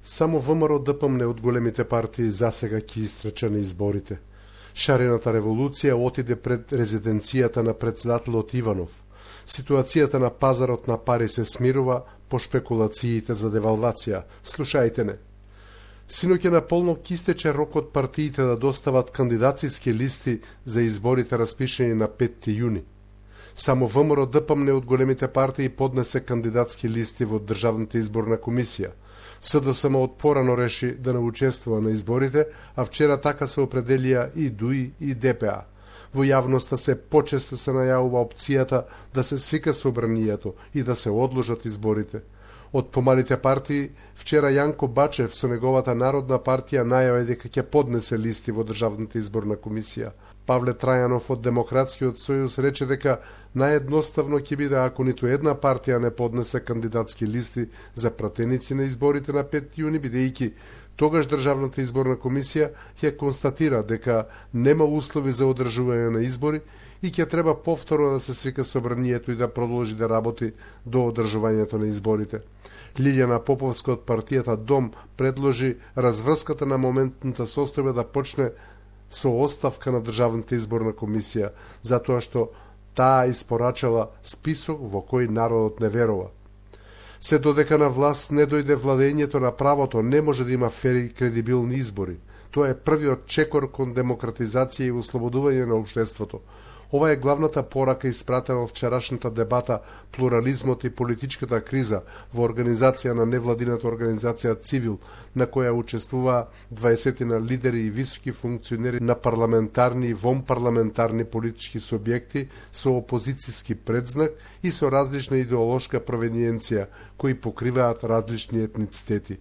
Само ВМРО ДПМН од големите партии засега ќе истрче на изборите. Шарената револуција отиде пред резиденцијата на председателот Иванов. Ситуацијата на пазарот на пари се смирува по шпекулациите за девалвација. Слушајте не. Синоќа наполно истече рокот партиите да достават кандидацијски листи за изборите распишени на 5 јуни. Само ВМРО ДПМН од големите партии поднесе кандидатски листи во Државната изборна комисија. СДСМ од порано реши да не учествува на изборите, а вчера така се определија и ДУИ и ДПА. Во јавноста се почесто се најавува опцијата да се свика собранието и да се одложат изборите. Од помалите партии, вчера Јанко Бачев со неговата Народна партија најави дека ќе поднесе листи во Државната изборна комисија. Павле Трајанов од Демократскиот сојуз рече дека наједноставно ќе биде ако ниту една партија не поднесе кандидатски листи за пратеници на изборите на 5 јуни, бидејќи тогаш Државната изборна комисија ќе констатира дека нема услови за одржување на избори и ќе треба повторно да се свика собранието и да продолжи да работи до одржувањето на изборите. Лилјана Поповска од партијата Дом предложи разврската на моментната состојба да почне со оставка на Државната изборна комисија, затоа што таа испорачала список во кој народот не верува. Се додека на власт не дојде владењето на правото, не може да има фери и кредибилни избори. Тоа е првиот чекор кон демократизација и ослободување на општеството. Ова е главната порака испратена во вчерашната дебата «Плурализмот и политичката криза» во организација на невладината организација Цивил, на која учествуваа 20 на лидери и високи функционери на парламентарни и вонпарламентарни политички субјекти со опозицијски предзнак и со различна идеолошка провениенција, кои покриваат различни етницитети.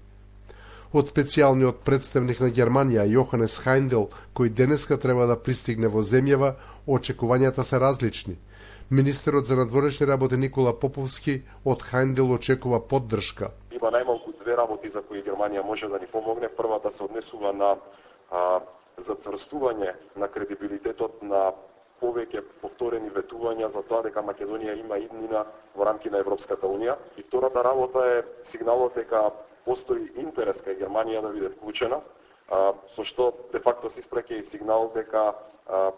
Од специјалниот представник на Германија, Јоханес Хајндел, кој денеска треба да пристигне во земјава, очекувањата се различни. Министерот за надворешни работи Никола Поповски од Хајндел очекува поддршка. Има најмалку две работи за кои Германија може да ни помогне. Првата се однесува на зацврстување на кредибилитетот на повеќе повторени ветувања за тоа дека Македонија има иднина во рамки на Европската Унија. И втората работа е сигналот дека постои интерес кај Германија да биде вклучена, со што де факто се испраќа и сигнал дека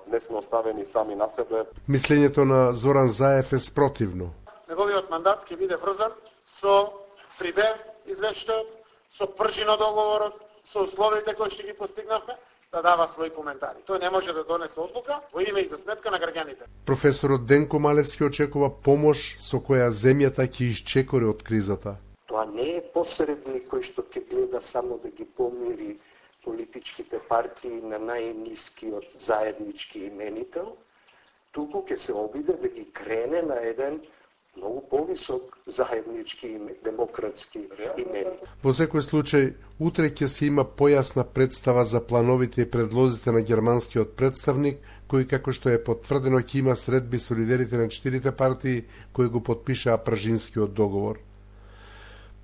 не сме оставени сами на себе. Мислењето на Зоран Заев е спротивно. Неговиот мандат ќе биде врзан со прибев извештајот, со пржино договорот, со условите кои што ги постигнавме, да дава своји коментари. Тој не може да донесе одлука во име и за сметка на граѓаните. Професорот Денко Малески очекува помош со која земјата ќе исчекори од кризата. Тоа не е посредник кој што ќе гледа само да ги помири политичките партии на најнискиот заеднички именител, туку ќе се обиде да ги крене на еден многу повисок заеднички демократски именител. Во секој случај, утре ќе се има појасна представа за плановите и предлозите на германскиот представник, кој, како што е потврдено, ќе има средби со лидерите на 4 партии кои го потпишаа Пражинскиот договор.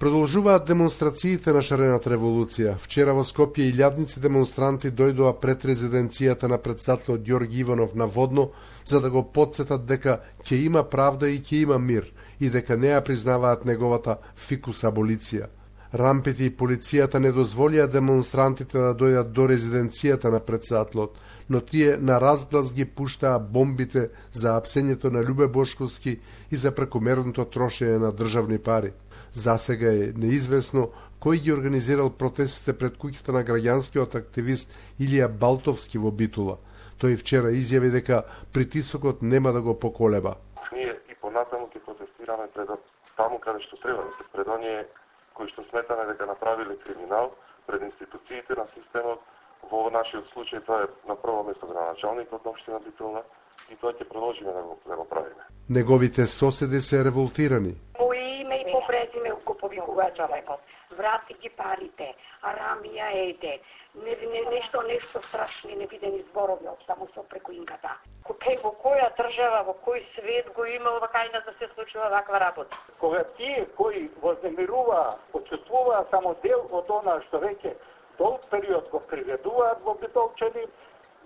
Продолжуваат демонстрациите на шарената револуција. Вчера во Скопје илјадници демонстранти дојдоа пред резиденцијата на председателот Ѓорги Иванов на Водно за да го потсетат дека ќе има правда и ќе има мир и дека не ја признаваат неговата фикус аболиција. Рампите и полицијата не дозволија демонстрантите да дојдат до резиденцијата на председателот, но тие на разглас ги пуштаа бомбите за апсењето на Љубе Бошковски и за прекомерното трошење на државни пари. Засега е неизвестно кој ги организирал протестите пред куќата на граѓанскиот активист Илија Балтовски во Битула. Тој вчера изјави дека притисокот нема да го поколеба. Ние и понатаму ќе протестираме пред таму каде што треба, пред оние кои што сметаме дека направиле криминал, пред институциите на системот. Во нашиот случај тоа е на прво место градоначалникот на општина Битула и тоа ќе продолжиме да го правиме. Неговите соседи се револтирани. По име и по презиме го повикува човекот. Врати ги парите, арамија еде. Нешто страшни невидени зборови од таму со преку инката. Во која држава, во кој свет го има вакајна да се случува ваква работа? Кога тие кои вознемируваа, почувствуваа само дел од она што веќе долг период го приведуваат во Битолчани,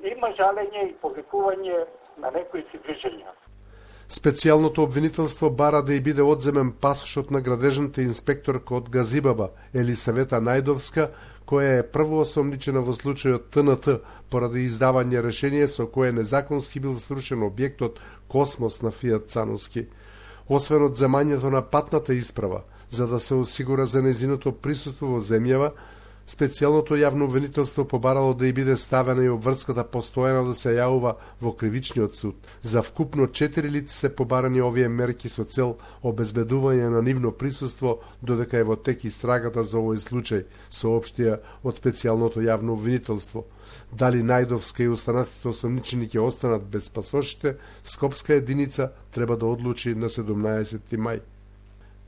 има жалење и повикување на некои си движења. Специјалното обвинителство бара да и биде одземен пасошот на градежната инспекторка од Газибаба, Елисавета Најдовска, која е прво осомничена во случајот ТНТ поради издавање решение со кое незаконски бил срушен објектот Космос на Фијат Цановски. Освен од земањето на патната исправа, за да се осигура за незиното присуство во земјава, специјалното јавно обвинителство побарало да и биде ставена и обврската постојано да се јавува во кривичниот суд. За вкупно 4 лица се побарани овие мерки со цел обезбедување на нивно присуство додека е во тек истрагата за овој случај, соопштија од специјалното јавно обвинителство. Дали Најдовска и останатите осомничени ќе останат без пасошите, Скопска единица треба да одлучи на 17 мај.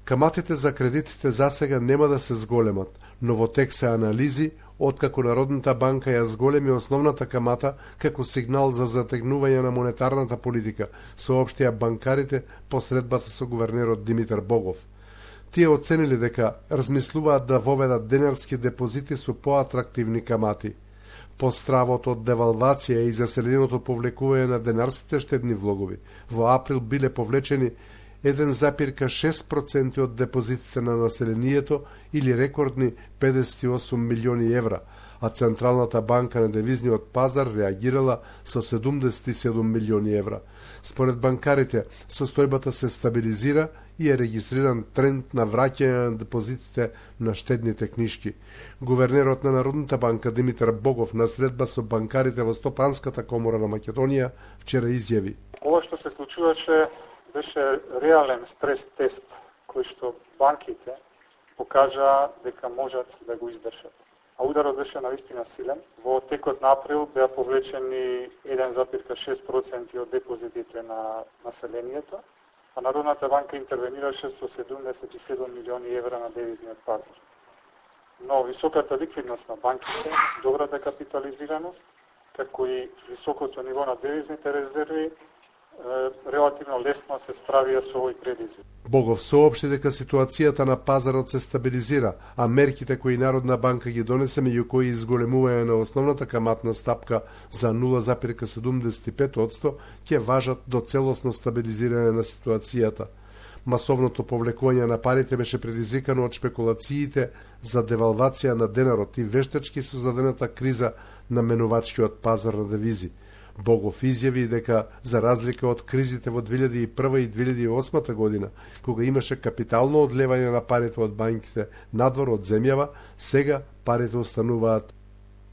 Каматите за кредитите засега нема да се зголемат, но во тек се анализи, откако Народната банка ја зголеми основната камата како сигнал за затегнување на монетарната политика, соопштија банкарите по средбата со гувернерот Димитар Богов. Тие оценили дека размислуваат да воведат денарски депозити со поатрактивни камати. По стравот од девалвација и заселеното повлекување на денарските штедни влогови, во април биле повлечени 1,6% од депозитите на населението или рекордни 58 милиони евра, а Централната банка на девизниот пазар реагирала со 77 милиони евра. Според банкарите, состојбата се стабилизира и е регистриран тренд на враќање на депозитите на штедните книжки. Гувернерот на Народната банка Димитар Богов на средба со банкарите во Стопанската комора на Македонија вчера изјави: Ова што се случуваше беше реален стрес тест кој што банките покажаа дека можат да го издржат. А ударот беше навистина силен. Во текот на април беа повлечени 1,6% од депозитите на населението, а Народната банка интервенираше со 77 милиони евра на девизниот пазар. Но високата ликвидност на банките, добрата капитализираност, како и високото ниво на девизните резерви релативно лесно се справија со овој предизвик. Богов соопшти дека ситуацијата на пазарот се стабилизира, а мерките кои Народна банка ги донесе, меѓу кои изголемување на основната каматна стапка за 0,75%, ќе важат до целосно стабилизирање на ситуацијата. Масовното повлекување на парите беше предизвикано од шпекулациите за девалвација на денарот и вештачки создадената криза на менувачкиот пазар на девизи. Богов изјави дека, за разлика од кризите во 2001 и 2008 година, кога имаше капитално одлевање на парите од банките надвор од земјава, сега парите остануваат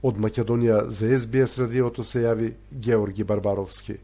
од Македонија. За СБС радиото се јави Георги Барбаровски.